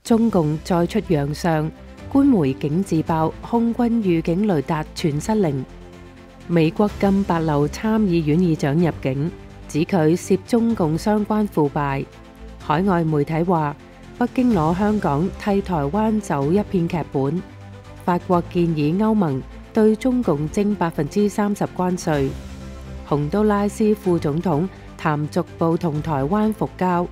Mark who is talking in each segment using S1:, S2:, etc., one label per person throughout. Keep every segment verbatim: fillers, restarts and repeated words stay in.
S1: 中共再出洋相，官媒竟自爆空軍預警雷達全失靈。美國禁帛琉參議院議長入境，指佢涉中共相關腐敗。海外媒體話，北京攞香港替台灣走一片劇本。法國建議歐盟對中共徵百分之三十關稅。洪都拉斯副總統談逐步同台灣復交。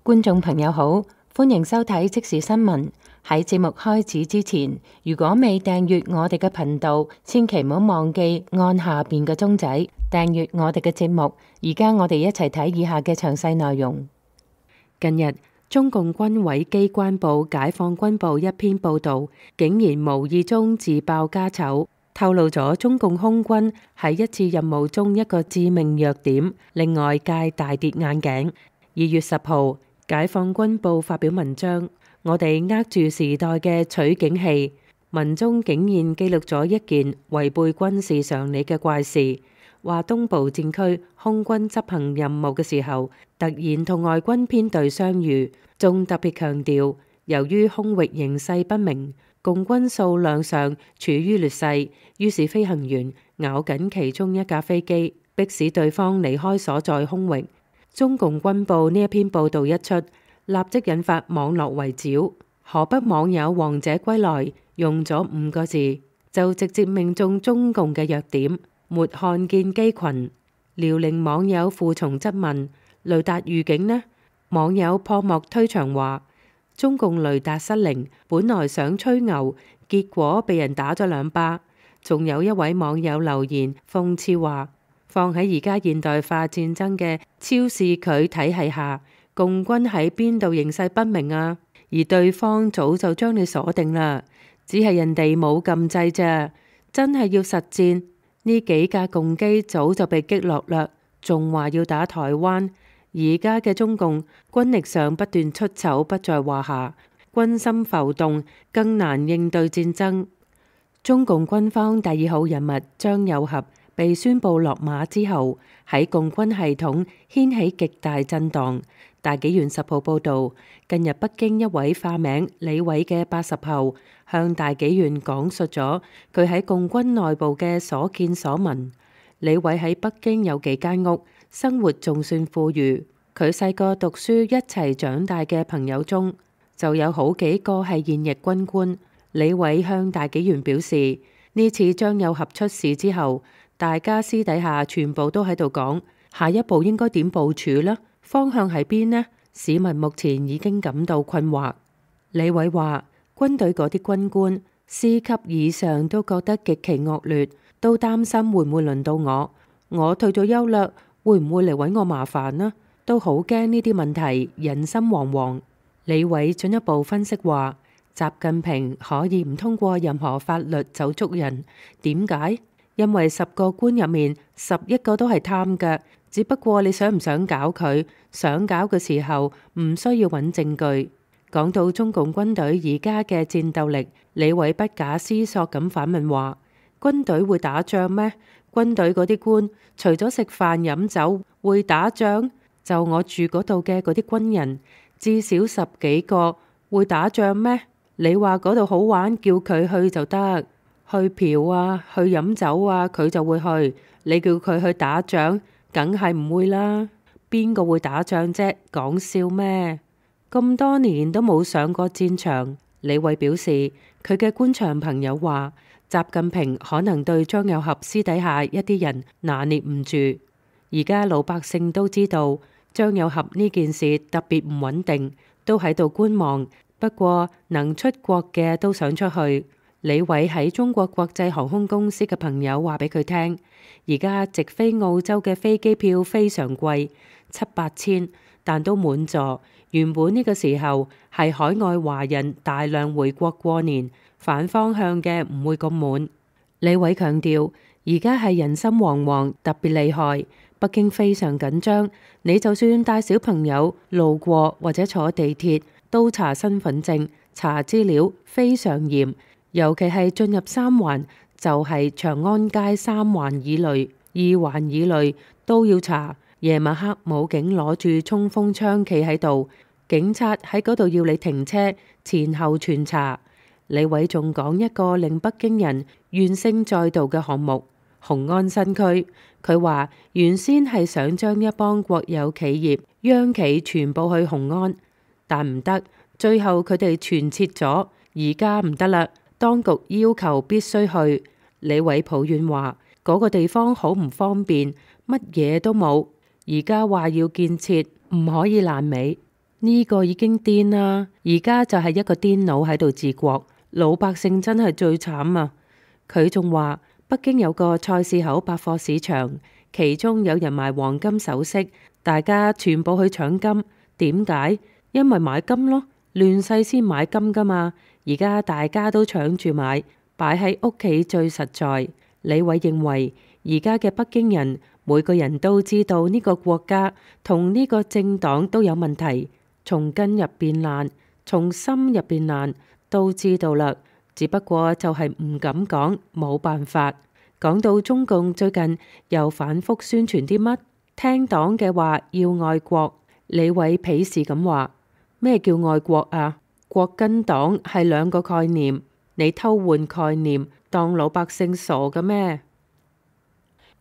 S1: 觀眾朋友好，歡迎收睇即時新聞。喺節目開始之前，如果未訂閱我哋嘅頻道，千祈唔好忘記按下邊嘅鐘仔訂閱我哋嘅節目。而家我哋一齊睇以下嘅詳細內容。近日，中共軍委機關報解放軍報一篇報道，竟然無意中自爆家醜，透露咗中共空軍喺一次任務中一個致命弱點，令外界大跌眼鏡。二月十號，解放軍報發表文章，我哋握住時代嘅取景器，文中竟然記錄咗一件違背軍事常理嘅怪事，話東部戰區空軍執行任務嘅時候，突然同外軍編隊相遇，仲特別強調，由於空域形勢不明，共軍數量上處於劣勢，於是飛行員咬緊其中一架飛機，迫使對方離開所在空域。中共軍報呢一篇報道一出，立即引發網絡圍剿。河北網友王者歸來用咗五個字，就直接命中中共嘅弱點，沒看見機群。遼寧網友負從質問，雷達預警呢？網友破幕推牆話，中共雷達失靈，本來想吹牛，結果被人打咗兩巴。仲有一位網友留言諷刺話，放喺而家現代化戰爭嘅超視距體系下，共軍喺邊度形勢不明啊？而對方早就將你鎖定啦，只係人哋冇撳掣啫。真係要實戰，呢幾架共機早就被擊落啦，仲話要打台灣。而家嘅中共軍力上不斷出醜不在話下，軍心浮動，更難應對戰爭。中共軍方第二號人物張又俠被宣布落馬之後，喺共軍系統掀起極大震盪。大紀元十號報道，近日北京一位化名李偉嘅八十後向大紀元講述咗佢喺共軍內部嘅所見所聞。李偉喺北京有幾間屋，生活仲算富裕。佢細個讀書一齊長大嘅朋友中，就有好幾個係現役軍官。李偉向大紀元表示，呢次張又俠出事之後，大家私底下全部都喺度講，下一步應該點部署呢？方向喺邊呢？市民目前已經感到困惑。李偉話，軍隊嗰啲軍官師級以上都覺得極其惡劣，都擔心會唔會輪到我。我退咗休啦，會唔會嚟搵我麻煩呢？都好驚呢啲問題，人心惶惶。李偉進一步分析話，習近平可以唔通過任何法律就捉人，點解？因為十個官入面十一個都係貪嘅，只不過你想唔想搞佢？想搞嘅時候唔需要揾證據。講到中共軍隊而家嘅戰鬥力，李偉不假思索咁反問話，軍隊會打仗咩？軍隊嗰啲官除咗食飯飲酒會打仗？就我住嗰度嘅嗰啲軍人至少十幾個，會打仗咩？你話嗰度好玩，叫佢去就得。去嫖啊，去飲酒啊，佢就會去。你叫佢去打仗，梗係唔會啦。邊個會打仗啫？講笑咩？咁多年都冇上過戰場。李偉表示，佢嘅官場朋友話，習近平可能對張又俠私底下一啲人拿捏唔住。而家老百姓都知道張又俠呢件事特別唔穩定，都喺度觀望。不過能出國嘅都想出去。李偉喺中國國際航空公司嘅朋友話俾佢聽，而家直飛澳洲嘅飛機票非常貴，七八千，但都滿座。原本呢個時候係海外華人大量回國過年，反方向嘅唔會咁滿。李偉強調，而家係人心惶惶，特別厲害，北京非常緊張。你就算帶小朋友路過或者坐地鐵，都查身份證、查資料，非常嚴。尤其係進入三環，就係長安街三環以內、二環以內都要查。夜晚黑武警攞住衝鋒槍企喺度，警察喺嗰度要你停車，前後串查。李偉仲講一個令北京人怨聲載道嘅項目——雄安新區。佢話原先係想將一幫國有企業、央企全部去雄安，但唔得，最後佢哋全撤咗，而家唔得啦，當局要求必須去。李偉抱怨話嗰個地方好唔方便，乜嘢都冇，而家話要建設，唔可以爛尾，呢個已經癲啦，而家就係一個癲佬喺度治國。老百姓真係最慘啊！佢仲話北京有個菜市口百貨市場，其中有人賣黃金首飾，大家全部去搶金。點解？因為買金咯，亂世先買金噶嘛。而家大家都搶住買，擺喺屋企最實在。李偉認為而家嘅北京人每個人都知道呢個國家同呢個政黨都有問題，從根入邊爛，從心入邊爛。都知道啦，只不過就係唔敢講，冇辦法。講到中共最近又反覆宣傳啲乜，聽黨嘅話要愛國。李偉鄙視咁話：咩叫愛國啊？國跟黨係兩個概念，你偷換概念，當老百姓傻嘅咩？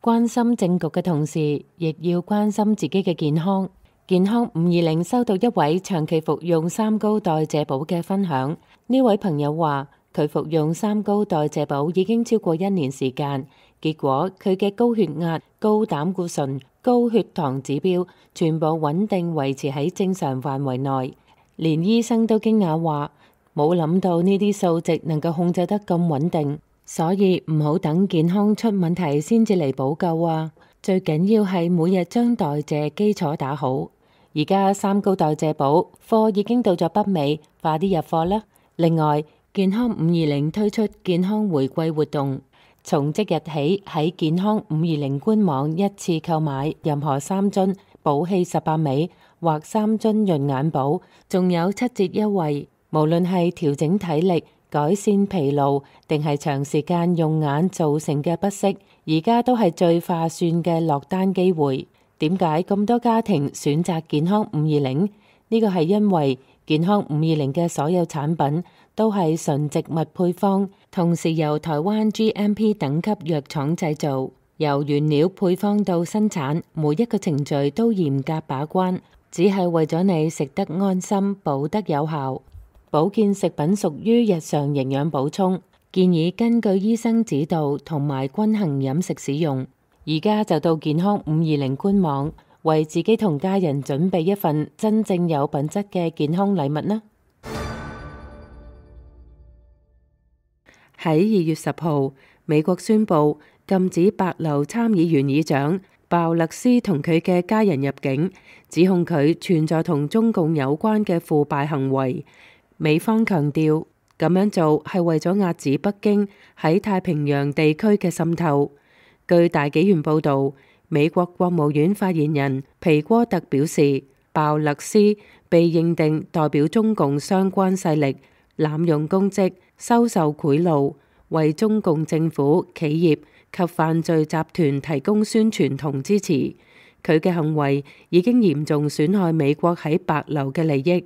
S1: 關心政局嘅同時，亦要關心自己嘅健康。健康五二零收到一位長期服用三高代謝寶嘅分享。呢位朋友話佢服用三高代謝寶已經超過一年時間，結果佢嘅高血壓、高膽固醇、高血糖指標全部穩定維持喺正常範圍內，連醫生都驚訝話冇諗到呢啲數值能夠控制得咁穩定，所以唔好等健康出問題先至嚟補救啊！最緊要係每日將代謝基礎打好。而家三高代謝寶貨已經到咗北美，快啲入貨啦！另外，健康五二零推出健康回饋活動，從即日起喺健康五二零官網一次購買任何三樽寶氣十八味或三樽潤眼寶，仲有七折優惠。無論係調整體力、改善疲勞，定係長時間用眼造成嘅不適，而家都係最划算嘅落單機會。點解咁多家庭選擇健康五二零？呢個係因為健康五二零嘅所有產品都係純植物配方，同時由台灣 G M P 等級藥廠製造，由原料配方到生產，每一個程序都嚴格把關，只係為咗你食得安心、補得有效。保健食品屬於日常營養補充，建議根據醫生指導同埋均衡飲食使用。而家就到健康五二零官網，為自己同家人準備一份真正有品質嘅健康禮物啦！喺二月十號，美國宣布禁止白樓參議院議長鮑勒斯同佢嘅家人入境，指控佢存在同中共有關嘅腐敗行為。美方強調，咁樣做係為咗壓止北京喺太平洋地區嘅滲透。據大紀元報導，美國國務院發言人皮戈特表示，鮑勒斯被認定代表中共相關勢力，濫用公職、收受賄賂，為中共政府、企業及犯罪集團提供宣傳同支持。佢嘅行為已經嚴重損害美國喺白樓嘅利益。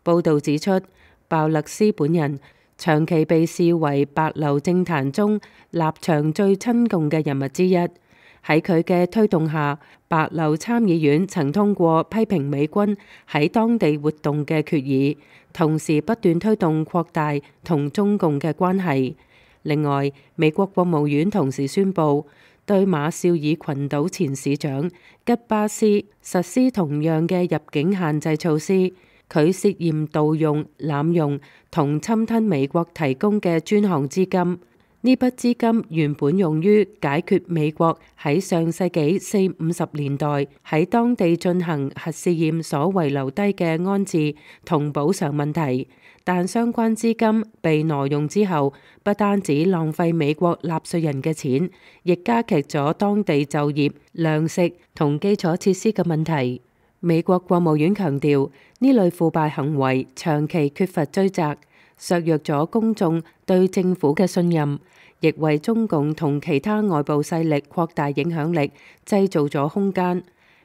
S1: 報導指出，鮑勒斯本人長期被視為白樓政壇中立場最親共嘅人物之一。喺佢嘅推動下，白樓參議院曾通過批評美軍喺當地活動嘅決議，同時不斷推動擴大同中共嘅關係。另外，美國國務院同時宣布對馬紹爾群島前市長吉巴斯實施同樣嘅入境限制措施。佢涉嫌盜用、濫用同侵吞美國提供嘅專項資金。呢筆資金原本用於解決美國喺上世紀四五十年代喺當地進行核試驗所遺留低嘅安置同補償問題，但相關資金被挪用之後，不單止浪費美國納稅人嘅錢，亦加劇咗當地就業、糧食同基礎設施嘅問題。美國國務院強調，呢類腐敗行為長期缺乏追責，削弱咗公眾對政府嘅信任，亦為中共同其他外部勢力擴大影響力製造咗空間。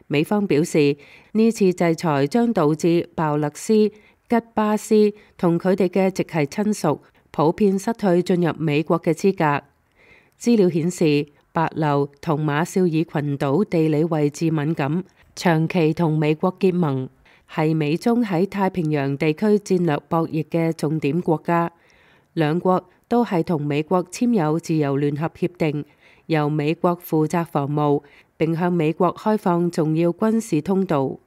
S1: 美方表示，呢次制裁將導致鮑勒斯、吉巴斯同佢哋嘅直系親屬普遍失去進入美國嘅資格。資料顯示，帛琉同馬紹爾群島地理位置敏感，長期同美國結盟，係美中喺太平洋地區戰略博弈嘅重點國家。兩國都係同美國簽有自由聯合協定，由美國負責防務，並向美國開放重要軍事通道。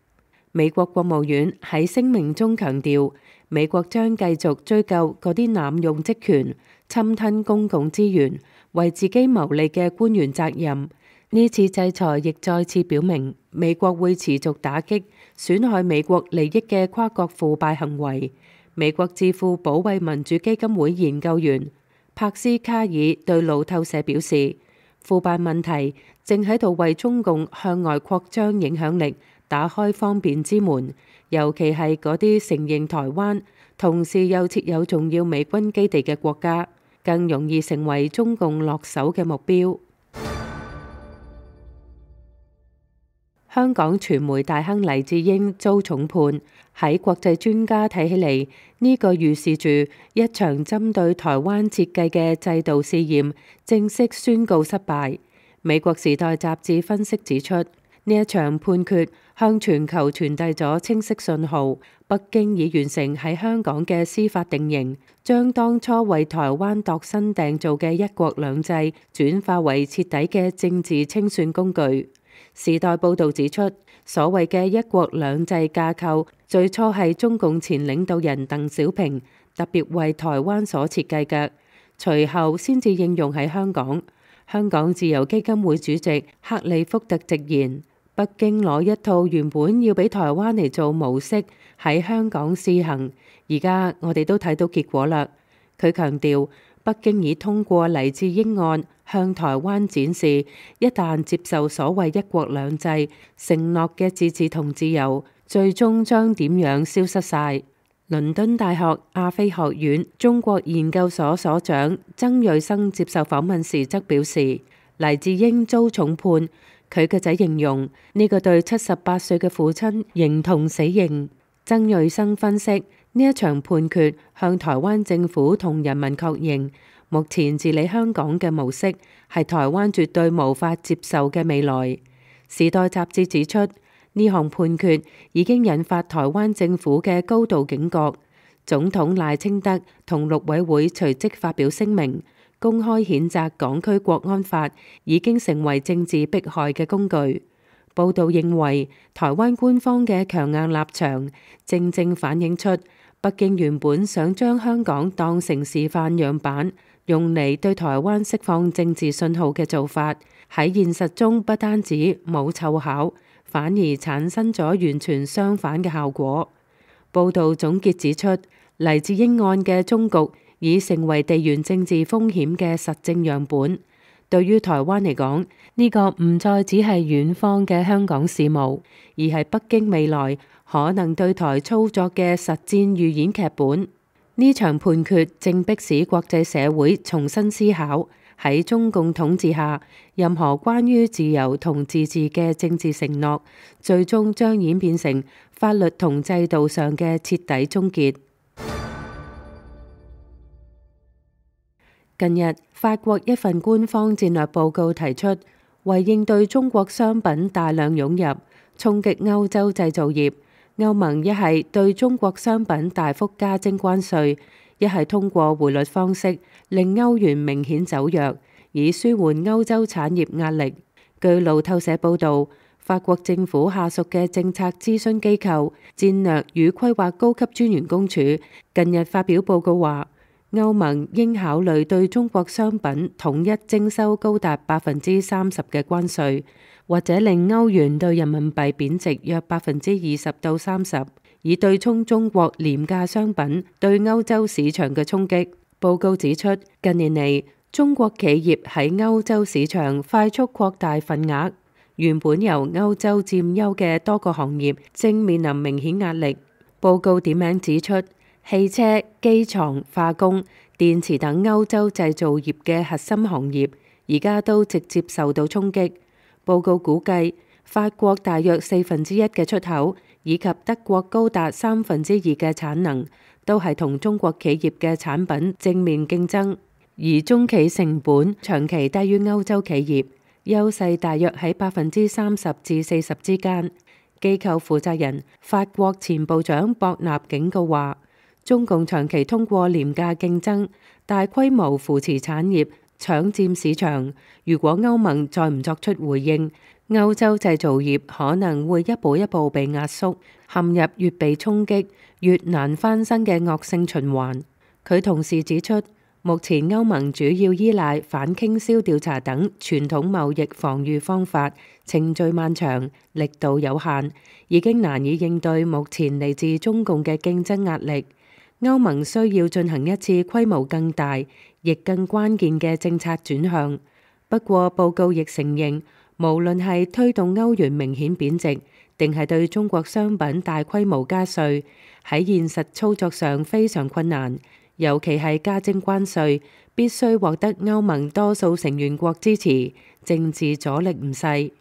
S1: 美國國務院喺聲明中強調，美國將繼續追究嗰啲濫用職權、侵吞公共資源、為自己牟利嘅官員責任。呢次制裁亦再次表明，美國會持續打擊損害美國利益嘅跨國腐敗行為。美國智庫保衛民主基金會研究員帕斯卡爾對路透社表示，腐敗問題正喺度為中共向外擴張影響力打開方便之門，尤其係嗰啲承認台灣，同時又設有重要美軍基地嘅國家，更容易成為中共落手嘅目標。香港傳媒大亨黎智英遭重判，喺國際專家睇起嚟，呢個預示住一場針對台灣設計嘅制度試驗正式宣告失敗。美國時代雜誌分析指出，呢一場判決向全球傳遞咗清晰信號，北京已完成喺香港嘅司法定型，將當初為台灣度身訂造嘅一國兩制轉化為徹底嘅政治清算工具。時代報導指出，所謂嘅一國兩制架構最初係中共前領導人鄧小平特別為台灣所設計嘅，隨後先至應用喺香港。香港自由基金會主席克里福特直言，北京攞一套原本要俾台灣嚟做模式喺香港試行，而家我哋都睇到結果啦。佢強調，北京已通過黎智英案向台灣展示，一旦接受所謂一國兩制承諾嘅自治同自由，最終將點樣消失晒。倫敦大學亞非學院中國研究所所長曾瑞生接受訪問時則表示，黎智英遭重判，佢嘅仔形容呢個對七十八歲嘅父親形同死刑。曾瑞生分析，呢一場判決向台灣政府同人民確認，目前治理香港嘅模式係台灣絕對無法接受嘅未來。時代雜誌指出，呢項判決已經引發台灣政府嘅高度警覺。總統賴清德同陸委會隨即發表聲明，公開譴責港區國安法已經成為政治迫害嘅工具。報道認為，台灣官方嘅強硬立場正正反映出北京原本想將香港當成示範樣板，用嚟對台灣釋放政治信號嘅做法，喺現實中不單止冇湊巧，反而產生咗完全相反嘅效果。報道總結指出，黎智英案嘅終局已成為地緣政治風險嘅實證樣本。對於台灣嚟講，呢個唔再只係遠方嘅香港事務，而係北京未來可能對台操作嘅實戰預演劇本。呢場判決正迫使國際社會重新思考，喺中共統治下，任何關於自由同自治嘅政治承諾，最終將演變成法律同制度上嘅徹底終結。近日，法國一份官方戰略報告提出，為應對中國商品大量湧入，衝擊歐洲製造業，歐盟一係對中國商品大幅加徵關稅，一係通過匯率方式令歐元明顯走弱，以舒緩歐洲產業壓力。據路透社報導，法國政府下屬嘅政策諮詢機構戰略與規劃高級專員公署近日發表報告話，歐盟應考慮對中國商品統一徵收高達百分之三十嘅關稅，或者令歐元對人民幣貶值約百分之二十到三十，以對沖中國廉價商品對歐洲市場嘅衝擊。報告指出，近年嚟中國企業喺歐洲市場快速擴大份額，原本由歐洲佔優嘅多個行業正面臨明顯壓力。報告點名指出，汽車、機床、化工、電池等歐洲製造業嘅核心行業，而家都直接受到衝擊。報告估計，法國大約四分之一嘅出口，以及德國高達三分之二嘅產能，都係同中國企業嘅產品正面競爭，而中企成本長期低於歐洲企業，優勢大約喺百分之三十至四十之間。機構負責人法國前部長博納警告話，中共長期通過廉價競爭、大規模扶持產業搶佔市場，如果歐盟再唔作出回應，歐洲製造業可能會一步一步被壓縮，陷入越被衝擊越難翻身嘅惡性循環。佢同時指出，目前歐盟主要依賴反傾銷調查等傳統貿易防禦方法，程序漫長，力度有限，已經難以應對目前嚟自中共嘅競爭壓力。歐盟需要進行一次規模更大，亦更關鍵嘅政策轉向。不過報告亦承認，無論係推動歐元明顯貶值，定係對中國商品大規模加稅，喺現實操作上非常困難。尤其係加徵關稅，必須獲得歐盟多數成員國支持，政治阻力唔細。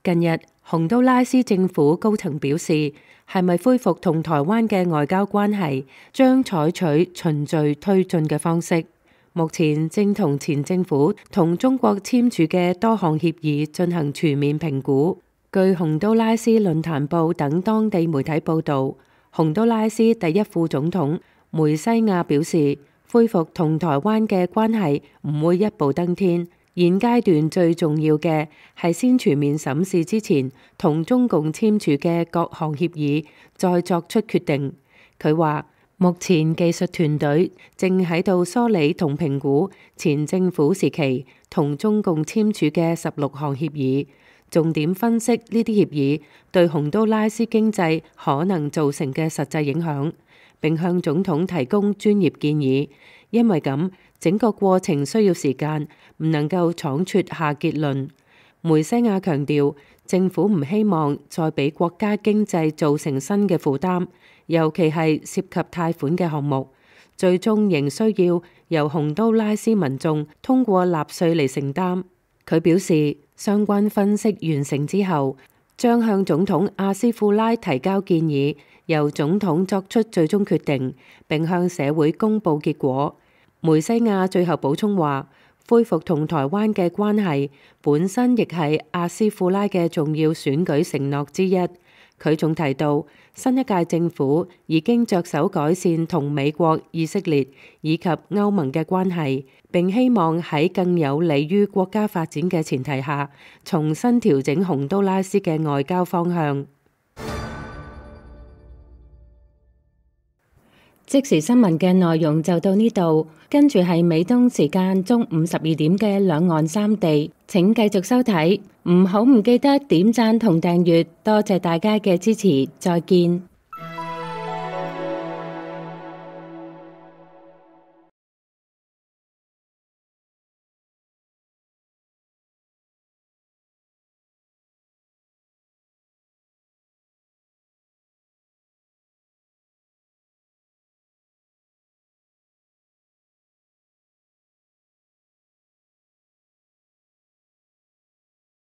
S1: 近日，洪都拉斯政府高層表示，係咪恢復同台灣嘅外交關係，將採取循序推進嘅方式。目前正同前政府同中國簽署嘅多項協議進行全面評估。據洪都拉斯論壇報等當地媒體報導，洪都拉斯第一副總統梅西亞表示，恢復同台灣嘅關係唔會一步登天，現階段最重要嘅係先全面審視之前同中共簽署嘅各項協議，再作出決定。佢話，目前技術團隊正喺度梳理同評估前政府時期同中共簽署嘅十六項協議，重點分析呢啲協議對洪都拉斯經濟可能造成嘅實際影響，並向總統提供專業建議。因為咁，整個過程需要時間，唔能夠倉促下結論。梅西亞強調，政府唔希望再俾國家經濟造成新嘅負擔，尤其係涉及貸款嘅項目，最終仍需要由洪都拉斯民眾通過納稅嚟承擔。佢表示，相關分析完成之後，將向總統阿斯庫拉提交建議，由總統作出最終決定，並向社會公佈結果。梅西亞最後補充話，恢復同台灣嘅關係本身亦係阿斯庫拉嘅重要選舉承諾之一。佢仲提到，新一屆政府已經着手改善同美國、以色列以及歐盟嘅關係，並希望喺更有利於國家發展嘅前提下，重新調整洪都拉斯嘅外交方向。即時新聞嘅內容就到呢度，跟住係美東時間中午十二點嘅兩岸三地，請繼續收睇，唔好唔記得點讚同訂閱，多謝大家嘅支持，再見。